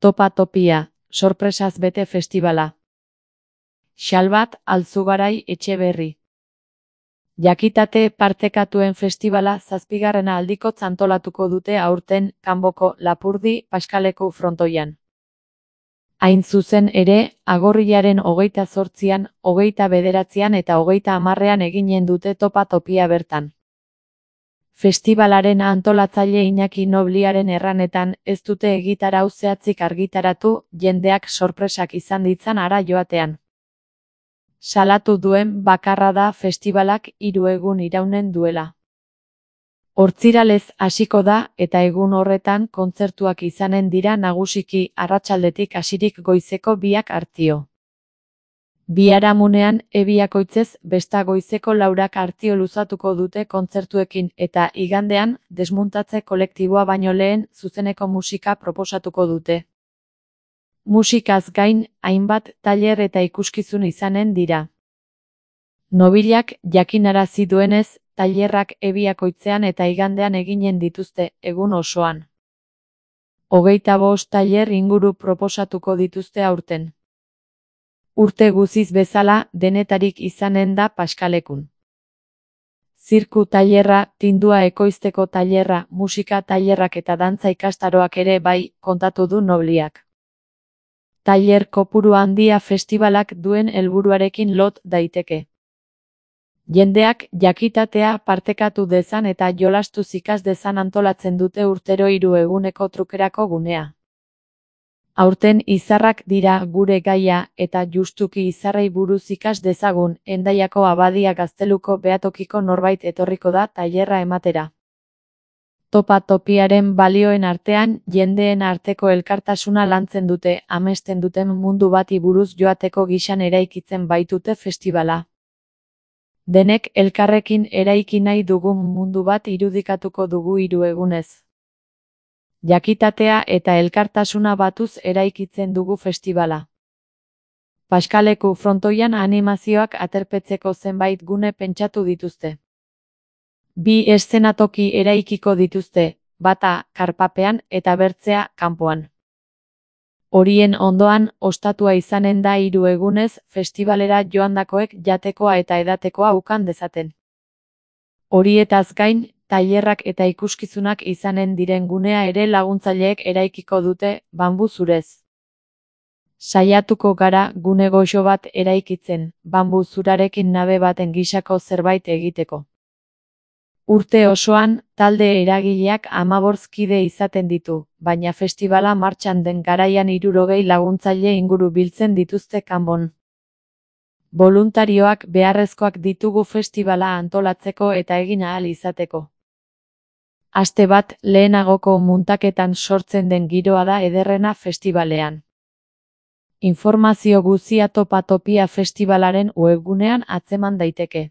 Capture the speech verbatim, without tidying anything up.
Topa Topia, sorpresaz bete festivala. Xalbat Altzugarai Etxeberri. Jakitate partekatuen festivala zazpigarrena aldikotz antolatuko dute aurten Kanboko Lapurdi Paskaleku frontoian. Hain zuzen ere, agorrilaren hogeita zortzian, hogeita bederatzian eta hogeita hamarrean eginen dute Topa Topia bertan. Festivalaren antolatzaile Iñaki Nobliaren erranetan ez dute egitarau zehatzik argitaratu, jendeak sorpresak izan ditzan hara joatean. Salatu duen bakarra da festivalak hiru egun iraunen duela. Hortziralez hasiko da eta egun horretan kontzertuak izanen dira nagusiki arratsaldetik hasirik goizeko biak artio. Biharamunean ebiakoitzez besta goizeko laurak artio luzatuko dute kontzertuekin eta igandean desmuntatze kolektiboa baino lehen zuzeneko musika proposatuko dute. Musikaz gain, hainbat tailer eta ikuskizun izanen dira. Nobilak jakinarazi duenez, tailerrak ebiakoitzean eta igandean eginen dituzte, egun osoan. Hogeita bost tailer inguru proposatuko dituzte aurten. Urte guziz bezala, denetarik izanen da Paskalekun. Zirku tailerra, tindua ekoizteko tailerra, musika tailerrak eta dantza ikastaroak ere bai, kontatu du Nobliak. Tailer kopuru handia festivalak duen helburuarekin lot daiteke. Jendeak jakitatea partekatu dezan eta jolastuz ikas dezan antolatzen dute urtero hiru eguneko trukerako gunea. Aurten izarrak dira gure gaia eta justuki izarrei buruz ikas dezagun, Hendaiako Abadia Gazteluko Behatokiko norbait etorriko da tailerra ematera. Topa Topiaren balioen artean jendeen arteko elkartasuna lantzen dute, amesten duten mundu bati buruz joateko gisan eraikitzen baitute festivala. Denek elkarrekin eraiki nahi dugun mundu bat irudikatuko dugu hiru egunez. Jakitatea eta elkartasuna batuz eraikitzen dugu festivala. Paskaleku frontoian animazioak aterpetzeko zenbait gune pentsatu dituzte. Bi eszenatoki eraikiko dituzte, bata karpapean eta bertzea kanpoan. Horien ondoan, ostatua izanen da hiru egunez, festivalera joandakoek jatekoa eta edatekoa ukan dezaten. Horietaz gain, tailerrak eta ikuskizunak izanen diren gunea ere laguntzaileek eraikiko dute, banbu zurez. Saiatuko gara gune goxo bat eraikitzen, banbu zurarekin nabe baten gisako zerbait egiteko. Urte osoan, talde eragileak hamabost kide izaten ditu, baina festivala martxan den garaian hirurogei laguntzaile inguru biltzen dituzte Kanbon. Boluntarioak beharrezkoak ditugu festivala antolatzeko eta egin ahal izateko. Aste bat lehenagoko muntaketan sortzen den giroa da ederrena festivalean. Informazio guzia Topa Topia festivalaren webgunean atzeman daiteke.